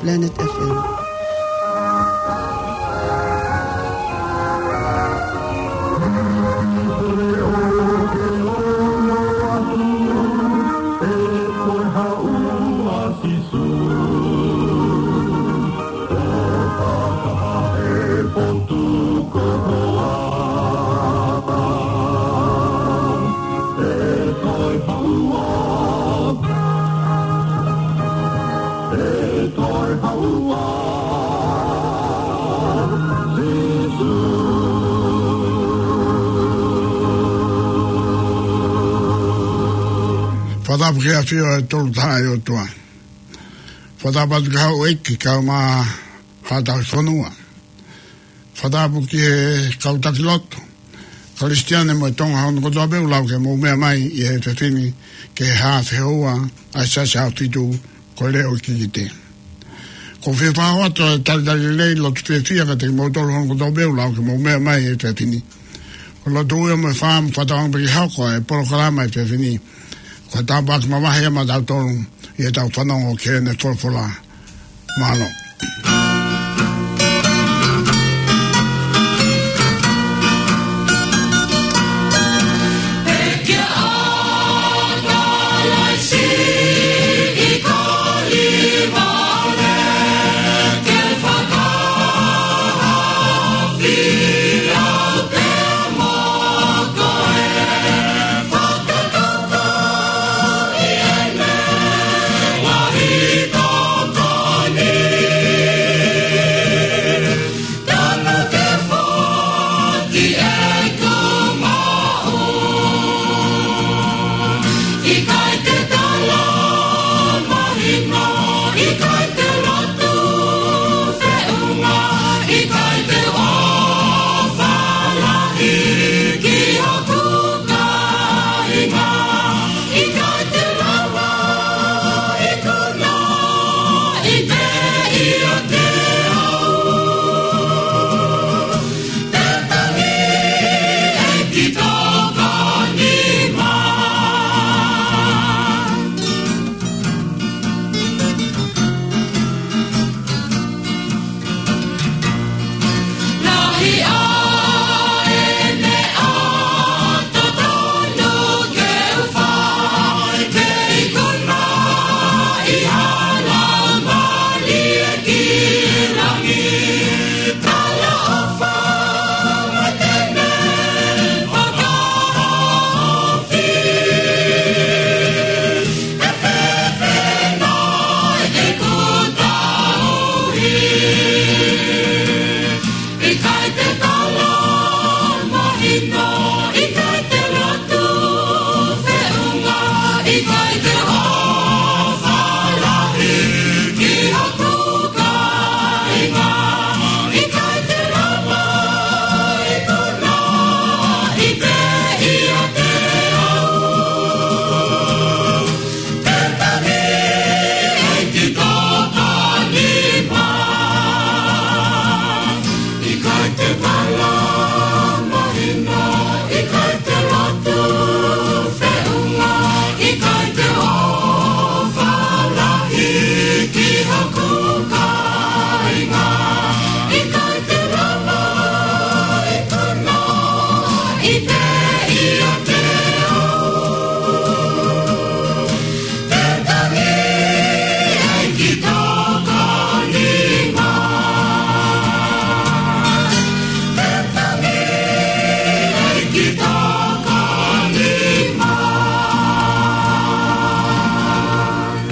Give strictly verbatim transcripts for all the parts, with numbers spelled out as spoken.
Planet F M. Fakatapu ki he ʻafio ʻa e Tolu Tahaʻi ʻOtua. Fakatapu atu ki he houʻeiki kae ʻumaʻā haʻa tauhi fonua. Fakatapu ki he kau taki lotu Kalisitiane mo e Tonga hono kotoa pē, ʻoku lava ke mou meʻa mai ʻi he efiafi ni ki he hā fehoua ʻa e Siasi ʻAhofitu ko e Leʻo Kikite. ʻOku ou fie fakahoko atu e talitali lelei lotu fiefia kiate kimoutolu hono kotoa pē, ʻoku lava ke mou meʻa mai ʻi he efiafi ni. Ko e lotu uia mo e fā mo fakatātā pē ki he hoko ʻa e polokalama ʻi he efiafi ni. Ko e tāpuaki mavahe ia maʻatautolu ʻi heʻetau fanongo ki heʻene folofola. Mālō.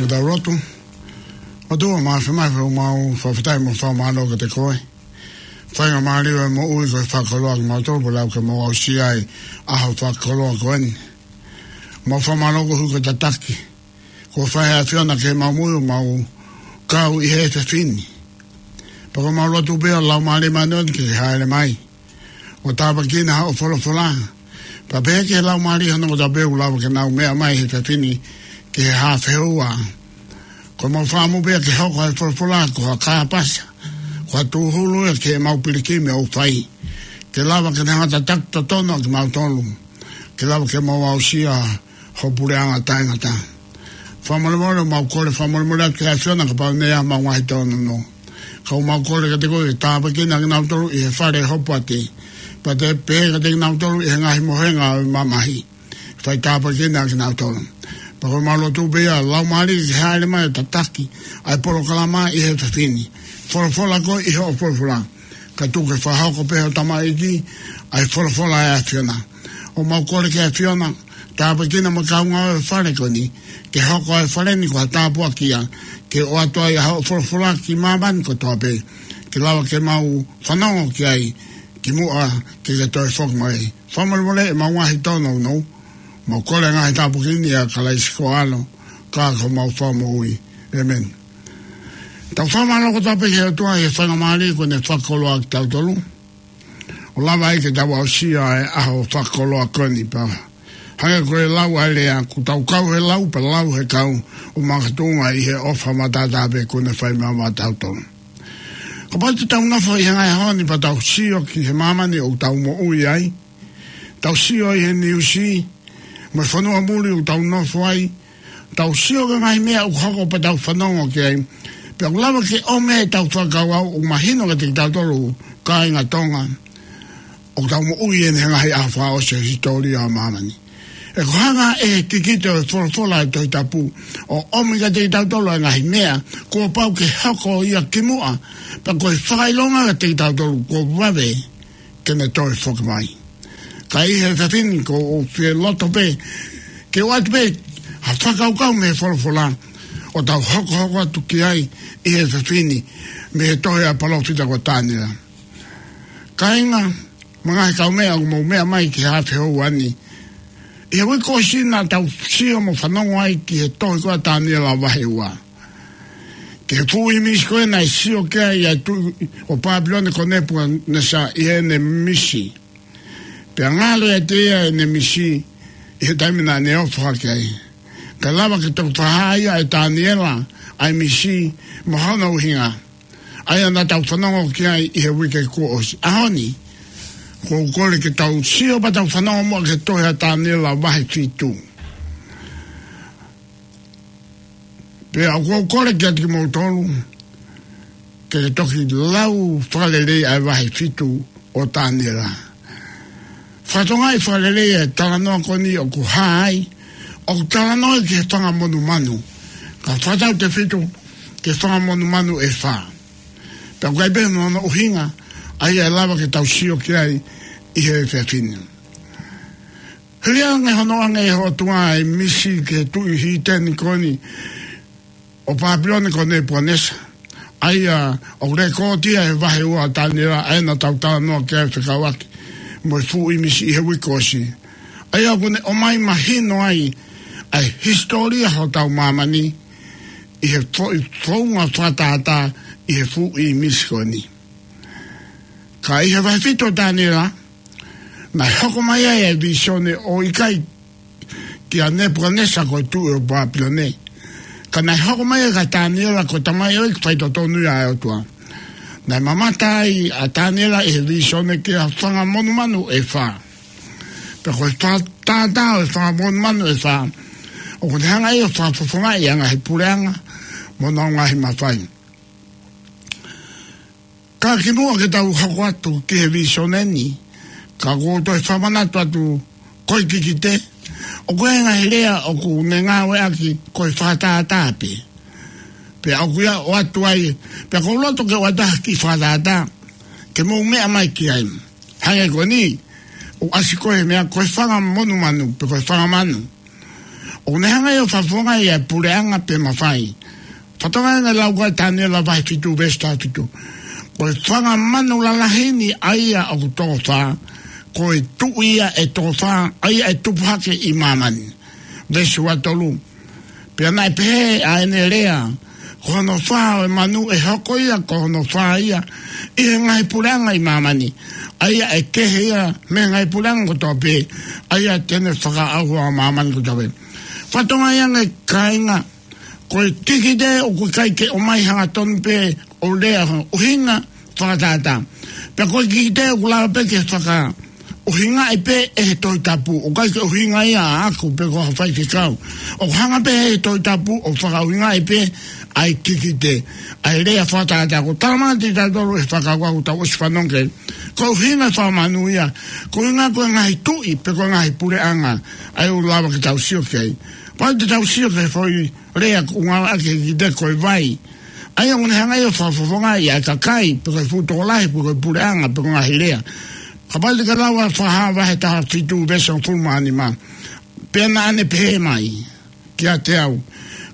Ke tau lotu. ʻOtua Māfimafi, ʻoku mau fakafetaʻi mo fakamālō kiate koe. Faingamālie ʻo e moʻui ko e fakakoloa kimautolu pea lava ke mau aʻusia ʻa e ʻaho fakakoloa ko eni. Mau fakamālō koeʻuhi ko e tataki kuo fai ʻe he ʻAfiona ki heʻemau moʻui ʻo mau kau ʻi he efiafi ni. Pea ʻoku mau lotu pē ʻa e Laumālie Māʻoniʻoni ke ke hāʻele mai ʻo tāpuekina hoʻo folofola. Pea pehē ki he laumālie hono kotoa pē ʻoku lava ke nau meʻa mai he efiafi ni ki he hā fehoua. Ko ʻemau fakaʻamu pē ia ke hoko ʻa e folofola ko ha kāpasa, ko ha tūhulu ia ki heʻemau pilikimi ʻoku fai, ke lava ke ne hanga ʻo tataki totonu ʻa kimautolu, ke lava ke mau aʻusia ho puleʻanga taʻengata. Fakamolemole, mau kole fakamolemole atu ki he ʻAfiona kapau naʻe ʻi ai haʻamau ngaahi tōnounou. Ka ʻoku mau kole kiate koe ke tāpuekina kinautolu ʻi he fale hopoate. Pea ke pehē kiate kinautolu ʻi he ngaahi mohenga ʻo e mamahi. Fai tāpuekina kinautolu. Pea ko ʻemau lotu pē ia, Laumālie ke hāʻele mai ʻo tataki ʻa e polokalama ʻi he efiafi ni. Folofola koe ʻi hoʻo folofola. Kae tuku ke fakahoko pē ʻe ho tamaiki ʻa e folofola ʻa e ʻAfiona. ʻOku mau kole ki he ʻAfiona, tāpuekina mo e kaungā ʻo e fale ko eni, ke hoko ʻa e fale ni ko ha tāpuaki ia, ke ʻoatu ai ʻa hoʻo folofola ki māmani kotoa pē, ke lava ke mau fanongo ki ai, kimuʻa ke ke toe foki mai. Fakamolemole ʻemau ngaahi tōnounou, mau kole ngaahi tāpuaki ni ʻia Kalaisi ko ho ʻAlo, ka ko homau Fakamoʻui. ʻĒmeni. Tau fakamālō kotoa pē ki he ʻOtua ʻi he faingamālie kuo ne fakakoloa kitautolu. ʻO lava ai ke tau aʻusia ʻa e ʻaho fakakoloa ko eni pea hangē ko e lau ʻa e lea, kuo tau kau he lau pea lau he kau, ʻo makatuʻunga ʻi he ʻofa matātā pē kuo ne fai maʻatautolu. Kapau te tau nofo ʻi he ngaahi ʻaho ni pea tau sio ki he māmani ʻoku tau moʻui ai, tau sio ʻi he niusi, mo e fonua muli ʻoku tau nofo ai, tau sio ki he ngaahi meʻa ʻoku hoko pea tau fanongo ki ai. Pea ʻoku lava ke ʻomi ʻetau fakakaukau ʻo mahino kiate kitautolu kāinga Tonga ʻoku tau moʻui ʻi he ngaahi ʻaho fakaʻosi ʻo e hisitōlia ʻo māmani. He ko e hanga ʻe he kikite ʻo e folofola ʻa e Tohi Tapu ʻo ʻomi kiate kitautolu ʻa e ngaahi meʻa kuo pau ke hoko ia kimuʻa, pea ko e fakaʻilonga kiate kitautolu kuo vave ke ne toe foki mai. Ka ʻi he efiafi ni ʻoku ou fie loto pē ke ʻoatu pē ha fakakaukau mei he folofola ʻo tau hokohoko atu ki ai ʻi he efiafi ni mei he tohi ʻa e palōfita ko Taniela. Kāinga, mo e ngaahi kaumeʻa ʻoku mou meʻa mai ki he ʻaho houa ni, ʻi he uike kuo ʻosi naʻa tau sio mo fanongo ai ki he tohi ko ia ʻa Taniela vahe ua. Ki he fuʻu ʻīmisi ko ē naʻe sio ki ai ʻa e tuʻi ʻo Pāpilone ko Nepukanesa ʻi heʻene misi. Pea ngalo ʻiate ia ʻene misi ʻi he taimi naʻa ne ofo hake ai. Kae lava ke toki fakahā ia ʻe Taniela ʻa e misi mo hono ʻuhinga. ʻA ia naʻa tau fanongo ki ai ʻi he uike kuo ʻosi. ʻAho ni, ʻoku ou kole ke tau sio pea tau fanongo muʻa ki he tohi ʻa Taniela vahe fitu. Pea ʻoku ou kole kiate kimoutolu ke toki lau fakalelei ʻa e vahe fitu ʻo Taniela. Fakatokangaʻi fakalelei ʻa e talanoa ko eni ʻoku hā ai, ʻoku talanoa ki he fanga monumanu. Ka fakatautefito ki he fanga monumanu ʻe fā. Pea ʻoku ʻi ai pē mo hono ʻuhinga, ʻa ia ʻe lava ke tau sio ki ai ʻi he efiafi ni. Hili ange hono ʻoange ʻe he ʻOtua ʻa e misi ki he tuʻi hiteni ko eni ʻo Pāpilone ko Nepukanesa. ʻA ia ʻoku lēkooti ia he vahe ua ʻa Taniela, ʻa ia naʻa tau talanoa ki ai fekauʻaki mo e fuʻu ʻīmisi ʻi he uike kuo ʻosi. ʻA ia ʻoku ne ʻomai mahino ai ʻa e hisitōlia hotau māmani ʻi he foʻi founga fakatātā ʻi he fuʻu ʻīmisi ko eni. Ka ʻi he vahe fitu ʻo Taniela, naʻe hoko mai ai ʻa e vīsone ʻo ʻikai kia Nepukanesa ko e tuʻi ʻo Pāpilone. Ka naʻe hoko mai ai kia Taniela ko e tamaioʻeiki faitotonu ia ʻa e ʻOtua. Naʻe mamata ai ʻa Taniela ʻi he vīsone ki ha fanga monumanu ʻe fā. Pea ko e fakatātā ʻo e fanga monumanu ʻe fā, ʻoku ne hanga ʻe ia ʻo fakafofongaʻi ʻa e ngaahi puleʻanga mo honau ngaahi mafai. Ka kimuʻa ke tau hoko atu ki he vīsone ni, ka ʻoku ou toe fakamanatu atu ko e kikite, ʻoku ʻi ai e ngaahi lea ʻoku ne ngāueʻaki ko e fakatātā pē. Pea ʻoku ʻi ai ʻoatu ai, pea ʻoku ou loto ke ʻoatu ha kiʻi fakatātā ke mou meʻa mai ki ai. Hangē ko eni, ʻoku ʻasi ko e meʻa ko e fanga monumanu, pe ko e fanga manu. ʻOku ne hanga ʻe ia ʻo fakafofongaʻi ʻa e puleʻanga pe mafai. Fakatokangaʻi ange lau ko ia ʻa Taniela vahe fitu veesi taha fitu. Ko e fanga manu lalahi ni ʻa ia ʻoku toko fā, ko e tuʻi ia ʻe toko fā, ʻa ia ʻe tupu hake ʻi māmani. Veesi ua tolu. Pea naʻe pehē ʻa ʻene lea, ko hono fā ʻo e manu ʻe hoko ia, ko hono fā ia ʻi he ngaahi puleʻanga ʻi māmani. ʻA ia ʻe kehe ia mei he ngaahi puleʻanga kotoa pē, ʻa ia te ne fakaʻauha ʻa māmani kotoa pē. Fakatokangaʻi ange kāinga, ko e kikite ʻoku ʻikai ke ʻomai hangatonu pē ʻo lea hono ʻuhinga fakatātā. Pea ko e kikite ʻoku lava pē ke faka ʻuhingaʻi pē ʻe he Tohi Tapu, ʻoku ʻikai ke ʻuhinga ia ʻaʻaku pe ko ha faifekau. ʻOku hanga pē ʻe he Tohi Tapu ʻo fakaʻuhingaʻi pē ʻa e kikite, ʻa e lea fakatātā. Ko e tala mai kiate kitautolu ʻe he fakakaukau ʻoku tau ʻosi fanongo ki ai, ko e ʻuhinga fakamanu ia, ko e ʻuhinga ko e ngaahi tuʻi pe ko e ngaahi puleʻanga, ʻa ia ʻoku lava ke tau sio ki ai. Pea te tau sio ki he foʻi lea ʻoku ngāueʻaki he kikite ko e vai. ʻA ia ʻoku ne hanga ʻo fakafofongaʻi ʻa e kakai, pe ko e fuʻu tokolahi, pe ko e puleʻanga, pe ko e ngaahi lea. Kapau te ke lau ʻa Fakahā vahe taha fitu veesi hongofulu mā nima. Pea naʻa ne pehē mai kiate au,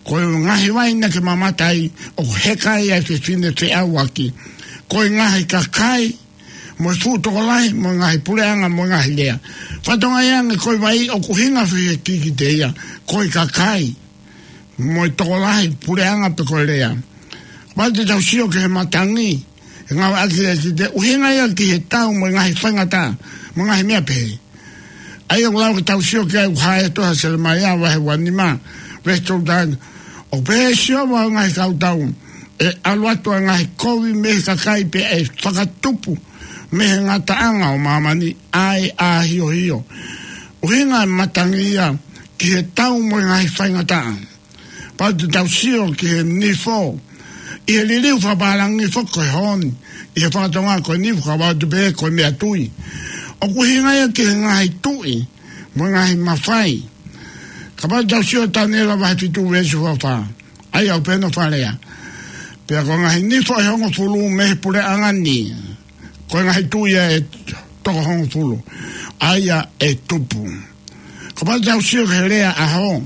ko e ngaahi vai naʻa ke mamata ai ʻoku heka ai ʻa e fefine feʻauaki, ko e ngaahi kakai, mo e fuʻu tokolahi, mo e ngaahi puleʻanga, mo e ngaahi lea. Fatongia ange ko e vai ʻoku ʻuhinga fēfē he kikite ia, ko e kakai, mo e tokolahi, puleʻanga pe ko e lea. Kapau te tau sio ki he matangi, ʻe ngāueʻaki he kikite, ʻuhinga ia ki he tau mo e ngaahi faingataʻa, mo e ngaahi meʻa pehē. ʻA ia ʻoku lava ke tau sio ki ai ʻoku hā he tohi ʻa Selemaia vahe ua nima, veesi tolu taha. ʻOku pehē ʻe Sihova ʻo e ngaahi kautau, ʻe ʻalu atu ʻa e ngaahi kovi mei he kakai pea ʻe fakatupu mei he ngataʻanga ʻo māmani ʻa e ʻāhiohio. ʻUhinga e matangi ia ki he tau mo e ngaahi faingataʻa. Pea te tau sio ki he nifo, ʻi he liliu fakapālangi foki ko e honi, ʻi he faka-Tonga ko e nifo ka ʻoku ʻatu pē ko e meʻatui. ʻOku ʻuhinga ia ki he ngaahi tuʻi, mo e ngaahi mafai. Kapau te tau sio Taniela vahe fitu veesi ua fā. ʻA ia ʻoku pehē hono fakalea. Pea ko e ngaahi nifo ʻe hongofulu mei he puleʻanga ni, ko e ngaahi tuʻi ia ʻe toko hongofulu, ʻa ia ʻe tupu. Kapau te tau sio ki he lea ʻaho,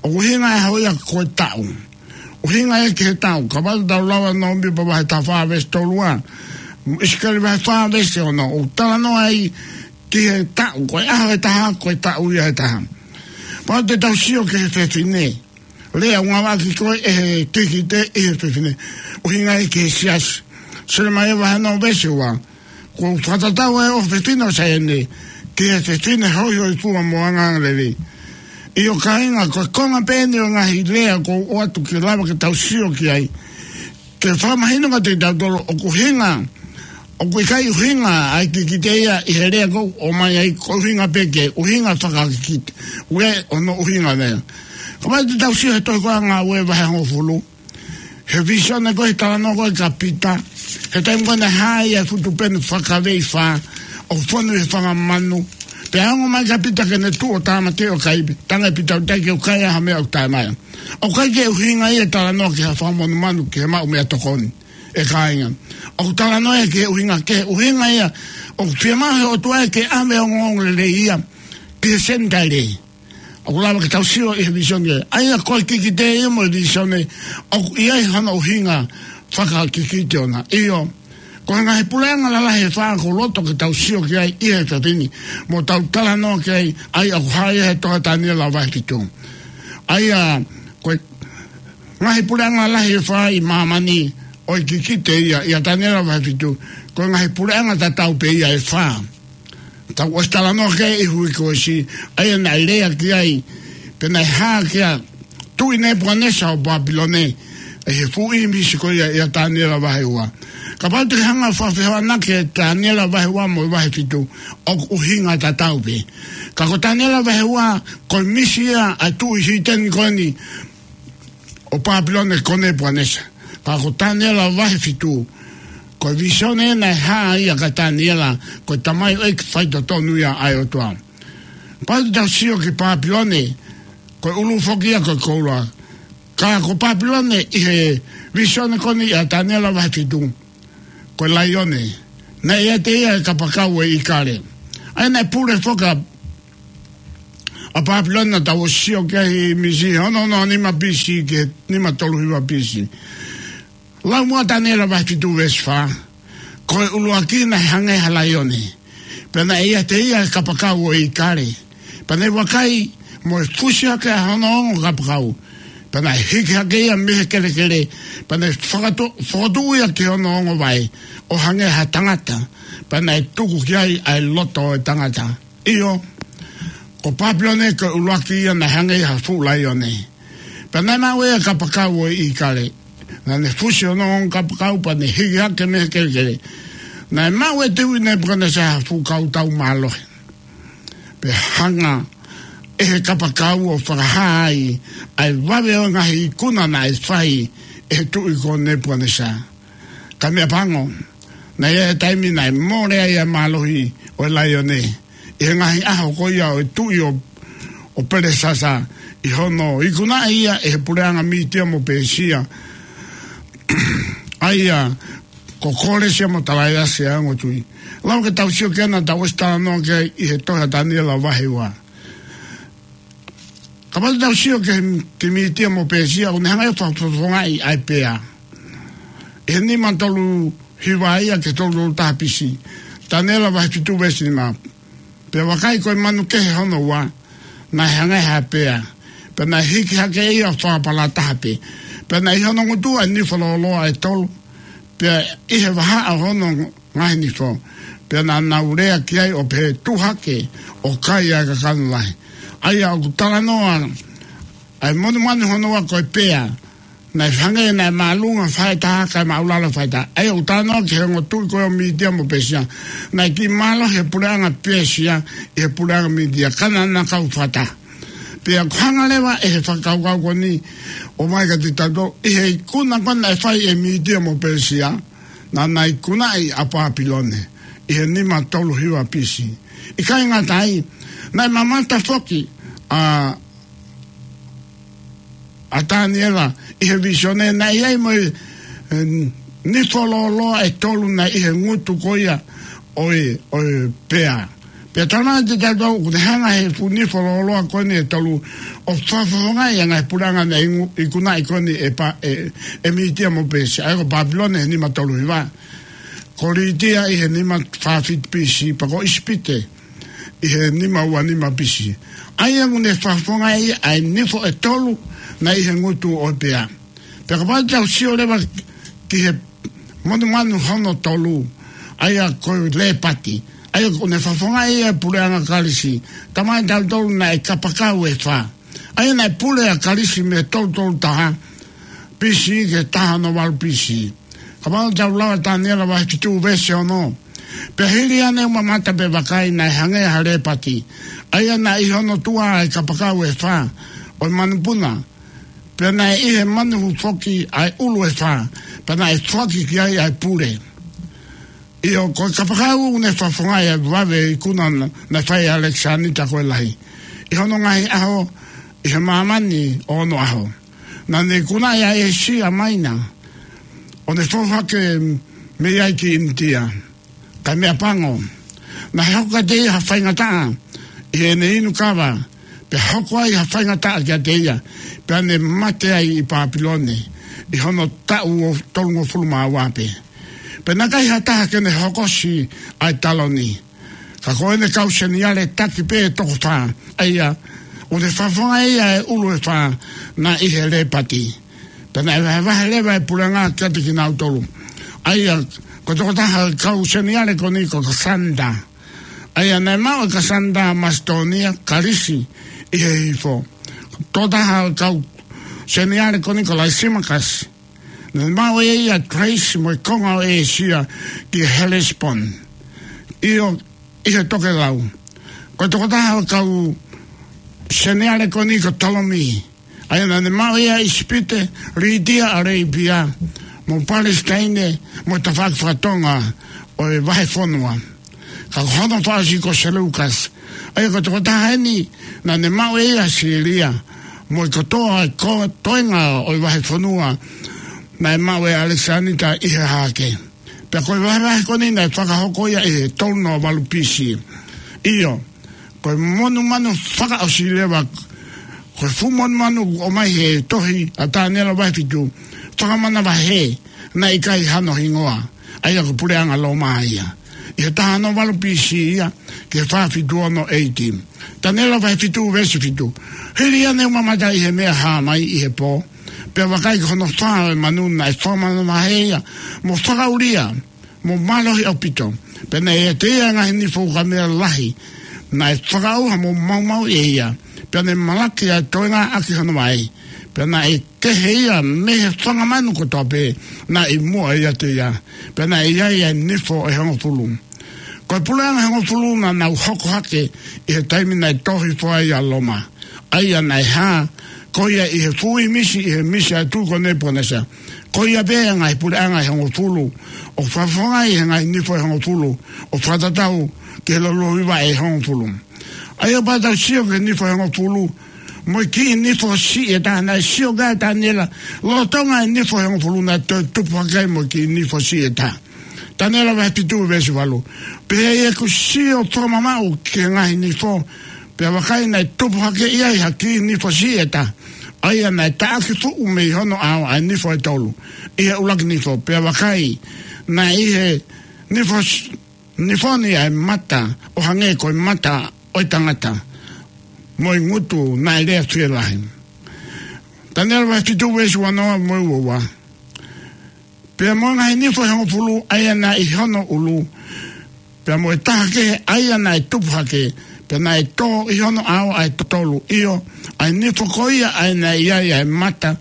ʻoku ʻuhinga ʻaho ia ko e taʻu. ʻUhinga ia ki he taʻu. Kapau te tau lau ʻa Nōmipa vahe taha fā veesi tolu ua, ʻIsikeli vahe fā veesi ono, ʻoku talanoa ai ki he taʻu, ko e ʻaho ʻe taha, ko e taʻu ia ʻe taha. Kapau te tau sio ki he fefine, lea ʻoku ngāueʻaki ko ē ʻe he kikite ʻi he fefine, ʻuhinga ia ki he siasi. Selemaia vahe ono veesi ua, kuo u fakatatau ʻa e ʻofefine ʻo Saione ki he fefine hoihoifua mo angalelei. ʻIo kāinga, ko e konga pē eni ʻo e ngaahi lea ʻoku ou ʻoatu ke lava ke tau sio ki ai, ke fakamahino kiate kitautolu ʻoku ʻuhinga, ʻoku ʻikai ʻuhinga ʻa e kikite ia ʻi he lea ʻoku ʻomai ai, ko e ʻuhinga pē ke ʻuhinga fakakikite. ʻOku ʻi ai hono ʻuhinga lea. Kapau te tau sio he tohi ko ē ʻa Ngāue vahe hongofulu, he vīsone ko ē, talanoa ko ē kia Pita, he taimi ko ē naʻe hā ai ʻa e fuʻu tupenu fakaveifa ʻoku fonu he fanga manu. Pea ongo mai kia Pita ke ne tuʻu ʻo tāmateʻi ʻo kai, pea talaange ʻe Pita ʻoku ʻikai ke u kai ʻa e meʻa ʻoku taʻemaʻa. ʻOku ʻikai ke ʻuhinga ia ʻa e talanoa ki ha fanga monumanu ke maʻu meʻatokoni, ʻe kāinga. ʻOku talanoa ia ki he ʻuhinga, ki he ʻuhinga ia ʻoku fiemaʻu he ʻOtua ia ke ʻave ʻa e ongoongolelei ia ki he Senitaile. ʻOku lava ke tau sio ʻi he vīsone. ʻA ia ko e kikite ia mo e vīsone, ʻoku ʻi ai hono ʻuhinga fakakikite ʻona. ʻIo, ko e ngaahi puleʻanga lalahi ʻe fā ʻoku ou loto ke tau sio ki ai ʻi he efiafi ni, mo tau talanoa ki ai, ʻa ia ʻoku hā ia he tohi ʻa Taniela vahe fitu. ʻA ia, ko e ngaahi puleʻanga lalahi ʻe fā ʻi māmani, ʻoku kikite ia ʻia Taniela vahe fitu, ko e ngaahi puleʻanga tatau pē ia ʻe fā. Tau ʻosi talanoa ki ai ʻi he uike kuo ʻosi, ʻa ia naʻe lea ki ai, pea naʻe hā ki ai ʻa e tuʻi Nepukanesa ʻo Pāpilone, ʻi he fuʻu ʻīmisi ko ia ʻia Taniela vahe ua. Kapau te ke hanga ʻo fakafehoanaki ʻa Taniela vahe ua mo e vahe fitu, ʻoku ʻuhinga tatau pē. Ka ko Taniela vahe ua, ko e ʻīmisi ia ʻa e tuʻi hiteni ko eni ʻo Pāpilone ko Nepukanesa. Ka ko Taniela vahe fitu, ko e vīsone naʻe hā ia kia Taniela, ko e tamaioʻeiki faitotonu ia ʻa e ʻOtua. Pea tau sio ki Pāpilone, ko e ʻulu foki ia ko e koula. Ka ko Pāpilone ʻi he vīsone ko eni ʻia Taniela vahe fitu, ko e laione. Naʻe ʻiate ia e kapakau ʻo e ʻīkale. ʻA ia naʻe pule foki ʻa Pāpilone, naʻa tau sio ki ai he ʻīmisi, ono ono nima B C ki he nima tolu hiva B C. Lau muʻa Taniela vahe fitu veesi fā. Ko e ʻuluaki naʻe hangē ha laione. Pea naʻe ʻiate ia e kapakau ʻo e ʻīkale. Pea naʻe vakai, mo e fusi hake ʻa hono ongo kapakau. Pea naʻe hiki hake ia mei he kelekele. Pea naʻe fakatu-, fokotuʻu ia ki hono ongo vaʻe, ʻo hangē ha tangata. Pea naʻe tuku ki ai ʻa e loto ʻo e tangata. ʻIo, ko Pāpilone ko e ʻuluaki ia naʻe hangē ha fuʻu laione. Pea naʻe maʻu ʻe ia e kapakau ʻo e ʻīkale. Naʻa ne fusi hono ongo kapakau pea ne hiki hake mei he kelekele. Naʻe maʻu ʻe Tuʻi Nepukanesa ha fuʻu kautau mālohi, pea hanga ʻe he kapakau ʻo fakahā ai ʻa e vave ʻo e ngaahi ikuna naʻe fai ʻe he tuʻi ko Nepukanesa. Ka meʻapango, naʻe ʻi ai e taimi naʻe mole ai ʻa e mālohi ʻo e laione ʻi he ngaahi ʻaho ko ia ʻo e tuʻi ʻo, ʻo Pelesasa, ʻi hono ikunaʻi ia ʻe he puleʻanga Mītia mo Pēsia, ʻa ia ko Kōlesia mo Talaiasi ʻa e ongo tuʻi. Lava ke tau sio ki ai, naʻa tau ʻosi talanoa ki ai ʻi he tohi ʻa Taniela vahe ua. Kapau te tau sio ki he, ki Mītia mo Pēsia, ʻoku ne hanga ʻo fakafofongaʻi ʻa e pea ʻi he nima tolu hiva ia ki he tolu tolu taha B.C. Taniela vahe fitu veesi nima. Pea vakai, ko e manu kehe hono ua, naʻe hangē ha pea, pea naʻe hiki hake ia ʻo fakapalataha pē. Pea naʻe ʻi hono ngutu ʻa e nifo lōloa ʻe tolu, pea ʻi he vahaʻa ʻo hono ngaahi nifo, pea naʻa nau lea ki ai ʻo pehē, Tuʻu hake ʻo kai ʻa e kakano lahi. ʻA ia ʻoku talanoa ʻa e monumanu hono ua ko e pea, naʻe hangē naʻe māʻolunga faʻahitaha kae māʻulalo faʻahitaha. ʻA ia ʻoku talanoa ki he ongo tuʻi ko ia ʻo Mītia mo Pēsia. Naʻe kiʻi mālohi he puleʻanga Pēsia ʻi he puleʻanga Mītia, ka naʻa na kau fakataha. Pea ʻoku hanga leva ʻe he fakakaukau ko eni ʻo ʻomai kiate kitautolu, ʻi he ikuna ko ē naʻe fai ʻe Mītia mo Pēsia, naʻa na ikunaʻi ʻa Pāpilone ʻi he nima tolu hiva B.C. ʻIkai ngata ai, naʻe mamata foki ʻa ʻa Taniela ʻi he vīsone naʻe ʻi ai mo e, e, nifo lōloa ʻe tolu naʻe ʻi he ngutu ko ia ʻo e, ʻo e pea. Pea talamai kiate kitautolu ʻoku ne hanga he fuʻu nifo lōloa ko eni ʻe tolu ʻo fakafofongaʻi ʻa e ngaahi puleʻanga naʻe ingu-, ikunaʻi ko eni ʻe Pā-, ʻe, ʻe Mītia mo Pēsia, ʻa ia ko Pāpilone he nima tolu hiva, ko Lītia ʻi he nima fā fitu B.C., pea ko ʻIsipite ʻi he nima ua nima B.C. ʻA ia ʻoku ne fakafofongaʻi ʻa e nifo ʻe tolu naʻe ʻi he ngutu ʻo e pea. Pea kapau te tau sio leva ki he monumanu hono tolu, ʻa ia ko Lēpati, ʻa ia ʻoku ne fakafofongaʻi ʻa e puleʻanga Kalisi, talamai kiate kitautolu naʻe kapakau ʻe fā. ʻA ia naʻe pule ʻa Kalisi mei he tolu tolu taha B.C. ki he taha ono valu B.C. Kapau te tau lau ʻa Taniela vahe fitu veesi ono. Pea hili ange ʻo mamata pea vakai, naʻe hangē ha lēpati, ʻa ia naʻe ʻi hono tuʻa ʻa e kapakau ʻe fā ʻo e manupuna, pea naʻe ʻi he manu foki ʻa e ʻulu ʻe fā, pea naʻe foaki ki ai ʻa e pule. ʻIo, ko e kapakau ʻoku ne fakafofongaʻi ʻa e vave ikuna naʻe fai ʻe ʻAlekisanita ko e Lahi ʻi hono ngaahi ʻaho ʻi he māmani ʻo onoʻaho. Naʻa ne ikunaʻi ʻa ʻĒsia Maina, ʻo ne fou hake mei ai ki ʻInitia. Kae meʻapango, naʻe hoko kiate ia ha faingataʻa ʻi heʻene inu kava, pea hoko ai ha faingataʻa kiate ia, pea ne mate ai ʻi Pāpilone ʻi hono taʻu ʻo tolungofulu mā ua pē. Pea naʻe ʻikai ha taha ke ne hokosi ʻa e taloni. Ka ko ʻene kau seniale taki pē ʻe toko fā, ʻa ia ʻoku ne fakafofongaʻi ʻa e ʻulu ʻe fā naʻe ʻi he lēpati. Pea naʻe vahevahe leva e puleʻanga kiate kinautolu. ʻA ia ko e tokotaha kau seniale ko eni ko Kasanta. ʻA ia naʻe maʻu ʻe Kasanta ʻa Masitōnia, Kalisi, ʻi he hihifo. Tokotaha kau seniale ko eni ko Laisimakasi. Naʻe maʻu ʻe ia ʻa Kalaisi mo e konga ʻo ʻĒsia ki Helesiponi, ʻio, ʻi he tokelau. Ko e tokotaha kau seniale ko eni ko Tolomi. ʻA ia naʻa ne maʻu ʻe ia ʻa ʻIsipite, Lītia, ʻAlepia, mo Palesitaine, mo e tafaʻaki fakatonga ʻo e vahefonua. Ka ko hono fakaʻosi ko Seleukasi. ʻA ia ko e tokotaha eni naʻa ne maʻu ʻe ia ʻa Sīlia, mo e kotoa e ko-, toenga ʻo e vahefonua naʻe maʻu ʻe ʻAlekisanita ʻi he hahake. Pea ko e vahevahe ko eni naʻe fakahoko ia ʻi he tolu noa valu B.C. ʻIo, ko e monumanu fakaʻosi leva, ko e fuʻu monumanu ʻoku ʻomai he tohi ʻa Taniela vahe fitu, fakamanavahē, naʻe ʻikai hano hingoa, ʻa ia ko e puleʻanga Loma ia. ʻI he taha ono valu B.C. ia, ki he fā fitu ono A.D. Taniela vahe fitu veesi fitu. Hili ange ʻo mamata ʻi he meʻa hā mai ʻi he pō, pea vakai, ko hono fā ʻo e manu naʻe fakamanavahē ia, mo fakaʻulia, mo mālohi ʻaupito. Pea naʻe ʻiate ia ʻa e ngaahi nifo ukamea lahi naʻe fakaʻauha mo maumauʻi ʻe ia. Pea ne malaki ʻa e toenga ʻaki hono vaʻe. Pea naʻe kehe ia mei he fanga manu kotoa pē naʻe ʻi muʻa ʻiate ia. Pea naʻe ʻi ai ʻa e nifo ʻe hongofulu. Ko e puleʻanga ʻe hongofulu naʻa nau hoko hake ʻi he taimi naʻe tō hifo ai ʻa Loma. ʻA ia naʻe hā, ko ia ʻi he fuʻu ʻīmisi, ʻi he ʻīmisi ʻa e tuʻi ko Nepukanesa. Ko ia pē ʻa e ngaahi puleʻanga ʻe hongofulu, ʻo fakafofongaʻi ʻe he ngaahi nifo ʻe hongofulu, ʻo fakatatau ki he lōloa hiva ʻe hongofulu. ʻA ia pea tau sio ki he nifo ʻe hongofulu, mo e kiʻi nifo siʻi ʻe taha, naʻe sio ki ai ʻa Taniela, lolotonga e nifo ʻe hongofulu naʻe toe tupu hake ai mo e kiʻi nifo siʻi ʻe taha. Taniela vahe fitu veesi valu. Pea ʻi heʻeku sio fakamamaʻu ki he ngaahi nifo, pea vakai naʻe tupu hake ʻi ai ha kiʻi nifo siʻi ʻe taha. ʻA ia naʻe taʻaki fuʻu mei hono ʻao ʻa e nifo ʻe tolu ʻi he ʻuluaki nifo, pea vakai naʻe ʻi he nifo s-, nifo ni ʻa e mata ʻo hangē ko e mata ʻo e tangata, mo e ngutu naʻe lea fielahi. Taniela vahe fitu veesi uanoa mo e uaua. Pea mo e ngaahi nifo ʻe hongofulu ʻa ia naʻe ʻi hono ʻulu, pea mo e taha kehe ʻa ia naʻe tupu hake, pea naʻe tō ʻi hono ʻao ʻa e totolu, ʻio, ʻa e nifo ko ia ʻa ia naʻe ʻi ai ʻa e mata,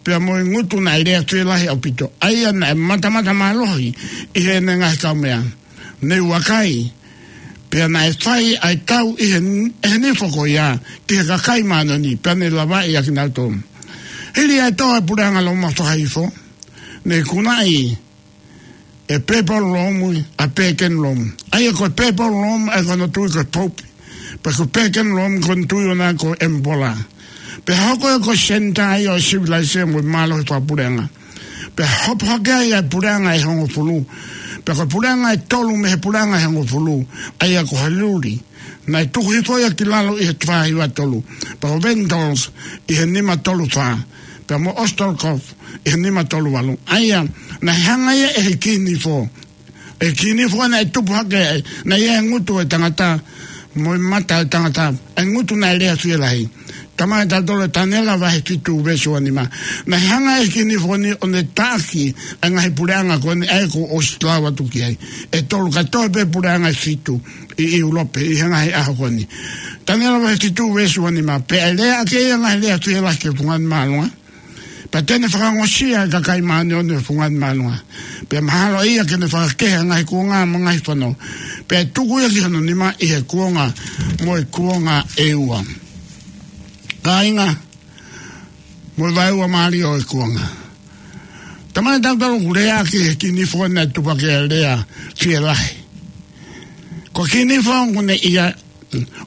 pea mo e ngutu naʻe lea fielahi ʻaupito, ʻa ia naʻe matamata mālohi ʻi heʻene ngaahi kaumeʻa. Ne u vakai, pea naʻe fai ʻa e tau ʻi he, ʻe he nifo ko ia ki he kakai māʻoniʻoni, pea ne lavaʻi ʻa kinautolu. Hili ʻa e tō ʻa e puleʻanga Loma fakahihifo, ne ikunaʻi ʻe Pēpolo Lomu ʻa Pēkeni Lomu. ʻA ia ko Pēpolo Lomu ʻa ia ko hono tui ko e Pope. Pea ko Pēkeni Lomu ko hono tui ʻoʻona ko e Emperor. Pea hoko ia ko e senitā ia ʻo e sivilaise mo e mālohi fakapuleʻanga. Pea hopo hake ai ʻa e puleʻanga ʻe hongofulu. Pea ko e puleʻanga ʻe tolu mei he puleʻanga ʻe hongofulu, ʻa ia ko Hailuri, naʻe tuku hifo ia ki lalo ʻi he fā hiva tolu. Pea ko Vendos ʻi he nima tolu fā. Pea mo Ostolkov ʻi he nima tolu valu. ʻA ia, naʻe hanga ia ʻe he kiʻi nifo, ʻe he kiʻi nifo naʻe tupu hake, naʻe ʻi ai e ngutu ʻo e tangata, mo e mata ʻo e tangata, ʻa e ngutu naʻe lea fielahi. Talamai ʻe tautolu ʻe Taniela vahe fitu veesi uanima. Naʻe hanga ʻe he kiʻi nifo ni ʻo ne taʻaki ʻa e ngaahi puleʻanga ko eni ʻa ia kuo ʻosi lau atu ki ai. ʻE tolu, ka toe pē puleʻanga ʻe fitu ʻi ʻIulope ʻi he ngaahi ʻaho ko eni. Taniela vahe fitu veesi uanima. Pea ʻe lea ʻaki ʻa e ngaahi lea fielahi ki he fungani māʻolunga. Pea te ne fakangosia ʻa e kakai māʻoniʻoni ʻo e fungani māʻolunga. Pea mahalo ia ke ne fakakehe ʻa e ngaahi kuonga mo e ngaahi fono. Pea ʻe tuku ia ki hono nima ʻi he kuonga mo e kuonga ʻe ua. Kāinga, mo e vaeua mālie ʻo e kuonga. Talamai ʻe tautolu ʻoku lea ʻaki ʻe he kiʻi nifo naʻe tupu hake ʻa e lea fielahi. Ko e kiʻi nifo ʻoku ne ʻi ai,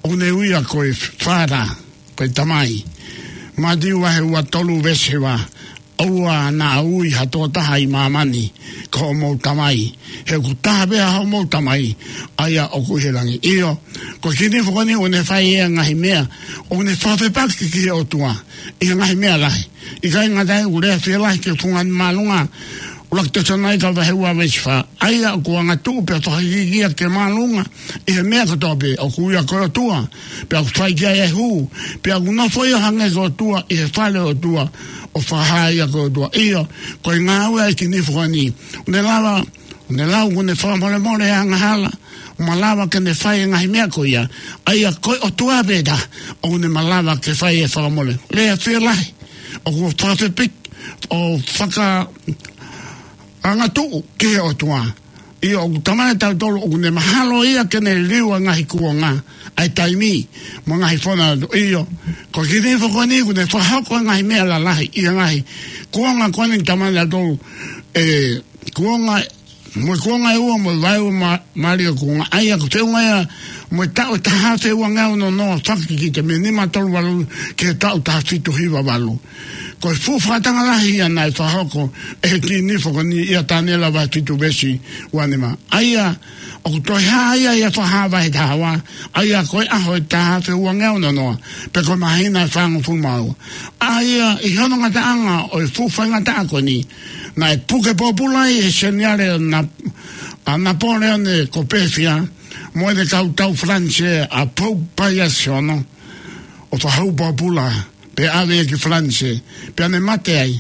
ʻoku ne ui ia ko e Father, ko e Tamai. Mātiu vahe ua tolu veesi hiva. ʻOua naʻa ui ha tokotaha ʻi māmani ko hoʻomou Tamai, he ʻoku taha pē ʻa hoʻomou Tamai, ʻa ia ʻoku ʻi he langi. ʻIo, ko e kiʻi nifo ko eni ʻoku ne fai ʻa e ngaahi meʻa ʻoku ne fakafepaki ki he ʻOtua ʻi he ngaahi meʻa lahi. ʻIkai ngata ai, ʻoku lea fielahi ki he fungani māʻolunga. ʻUluaki Tesalonaika vahe ua veesi fā. ʻA ia ʻoku angatuʻu pea fakaikiiki ia ki he māʻolunga ʻi he meʻa kotoa pē, ʻoku ui ia ko e ʻOtua, pea ʻoku fai ki ai ʻa e hū, pea ʻoku nofo ia ʻo hangē ko e ʻOtua ʻi he fale ʻo e ʻOtua, ʻo fakahā ia ko e ʻOtua. ʻIo, ko e ngāue ʻa e kiʻi nifo ko eni. ʻOku ne lava, ʻoku ne lau, ʻoku ne fakamolemole ʻa e angahala, ʻo malava ke ne fai e ngaahi meʻa ko ia, ʻa ia ko e ʻOtua pē taha ʻoku ne malava ke fai e fakamole. Lea fielahi, ʻoku fakafepaki, ʻo fakaangatuʻu ki he ʻOtua. ʻIo, ʻoku talamai ʻe tautolu ʻoku ne mahalo ia ke ne liliu ʻa e ngaahi kuonga, ʻa e taimi, mo e ngaahi fono atu. ʻIo, ko e kiʻi nifo ko eni ʻoku ne fakahoko e ngaahi meʻa lalahi ʻi he ngaahi kuonga ko eni, talamai ʻe tautolu, ʻe, kuonga, mo e kuonga ʻe ua, mo e vaeua mā-, mālie ʻo e kuonga. ʻA ia ʻoku feʻunga ia mo e taʻu ʻe taha afe ua ngeau noa noa, fakakikite mei he nima tolu valu ki he taʻu taha fitu hiva valu. Ko e fuʻu fakatanga lahi ia naʻe fakahoko ʻe he kiʻi nifo ko eni ʻia Taniela vahe fitu veesi uanima. ʻA ia ʻoku toe hā ia ʻi he Fakahā vahe taha ua, ʻa ia ko e ʻaho ʻe taha afe ua ngeau noa noa, pe ko e māhina ʻe fāngofulu mā ua. ʻA ia ʻi hono ngataʻanga ʻo e fuʻu faingataʻa ko eni, naʻe puke pōpula ai ʻe he Seniale ʻo Na-, ʻa Napoleone ko Pēfia, mo ʻene kau tau Falanisē ʻa Pope Pius ʻi hono, ʻo fakahū pōpula, pea ʻave ia ki Falanisē, pea ne mate ai.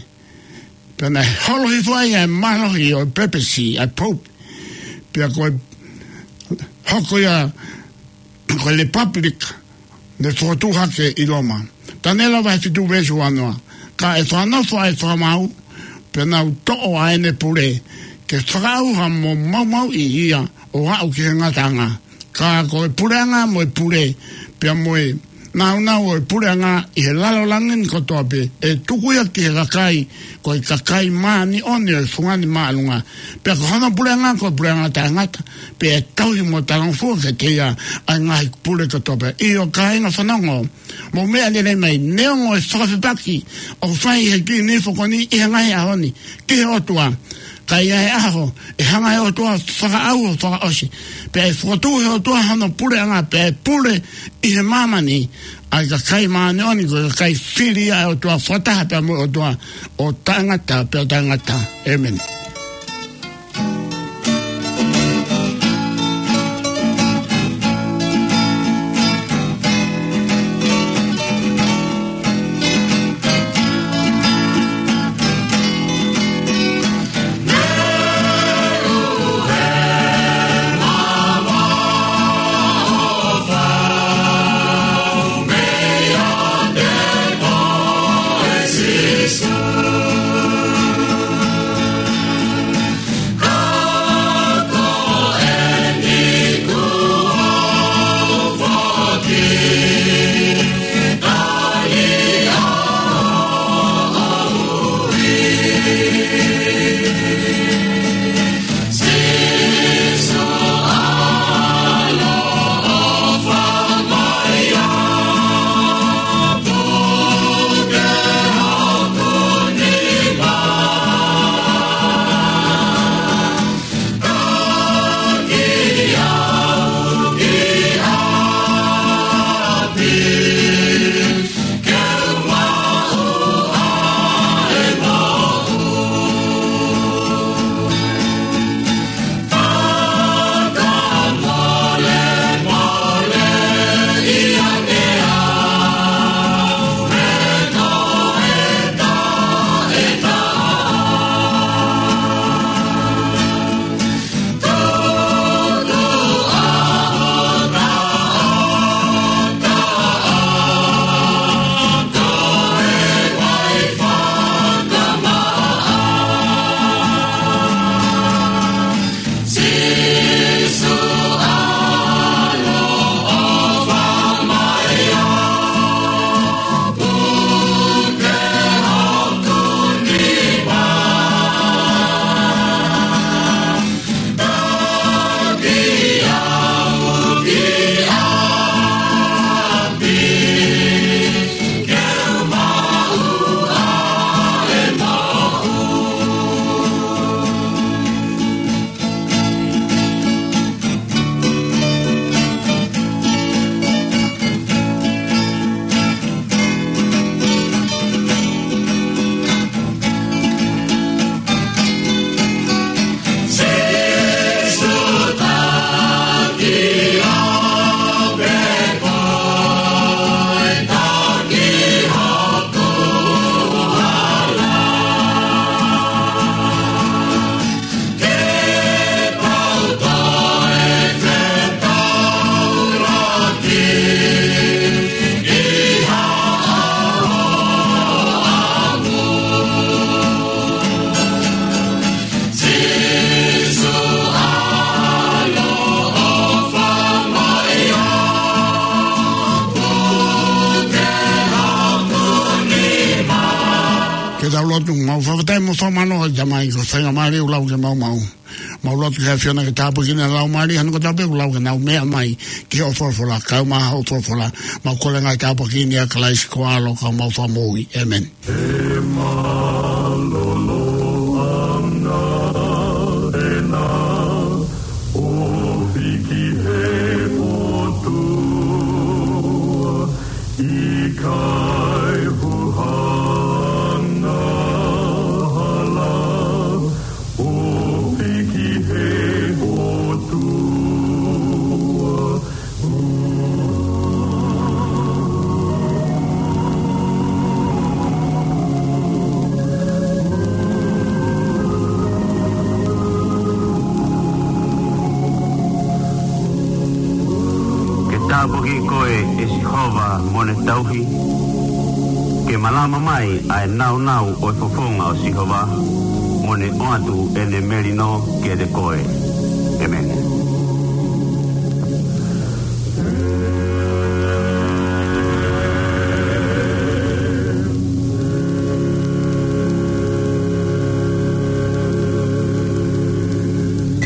Pea naʻe holo hifo ai ʻa e mālohi ʻo e pepesi, ʻa e Pope. Pea ko e hoko ia ko e Republic, ne fokotuʻu hake ʻi Loma. Taniela vahe fitu veesi uanoa. Ka ʻe fakanofo ʻa e fakamaau, pea nau toʻo ʻa ʻene pule, ke fakaʻauha mo maumauʻi ia ʻo aʻu ki he ngataʻanga. Ka ko e puleʻanga mo e pule, pea mo e nāunau ʻo e puleʻanga ʻi he lalo langi ni kotoa pē, ʻe tuku ia ki he kakai, ko e kakai māʻoniʻoni ʻo e fungani māʻolunga. Pea ko hono puleʻanga, ko e puleʻanga taʻengata, pea ʻe tauhi mo talangofua kiate ia ʻa e ngaahi pule kotoa pē. ʻIo kāinga fanongo, mou meʻa lelei mai, neongo e fakafepaki ʻoku fai ʻe he kiʻi nifo ko eni ʻi he ngaahi ʻaho ni ki he ʻOtua, ka ʻi he ʻaho ʻe hanga ʻe he ʻOtua ʻo fakaʻauha, fakaʻosi, pea ʻe fokotuʻu ʻe he ʻOtua hono puleʻanga, pea ʻe pule ʻi he māmani ʻa e kakai māʻoniʻoni, ko e kakai fili ʻa e ʻOtua, fakataha pea mo e ʻOtua ʻo taʻengata pea taʻengata. ʻĒmeni. Ke tau lotu. Mau fakafetaʻi mo fakamālō ʻa e Tamai ko e faingamālie ʻoku lau ke mau maʻu. Mau lotu ki he ʻAfiona ke tāpuakiʻi ʻene Laumālie, hangē ko e tapu ʻoku lau ke nau meʻa mai ki hoʻo folofola, kae ʻumaʻā hoʻo folofola. Mau kole ngaahi tāpuaki ni ʻia Kalaisi ko ho ʻAlo ka ko homau Fakamoʻui. ʻĒmeni. He mālōlō ʻanga ʻena ʻo hiki he ʻOtua, ʻikai huhanga hala ʻo hiki he ʻOtua. Ke tāpuakiʻi koe ʻe Sihova mo ʻene tauhi, Ke malama mai ʻa e naunau ʻo e fofonga ʻo Sihova, mo ne ʻoatu ʻene melino kiate koe. ʻEmeni.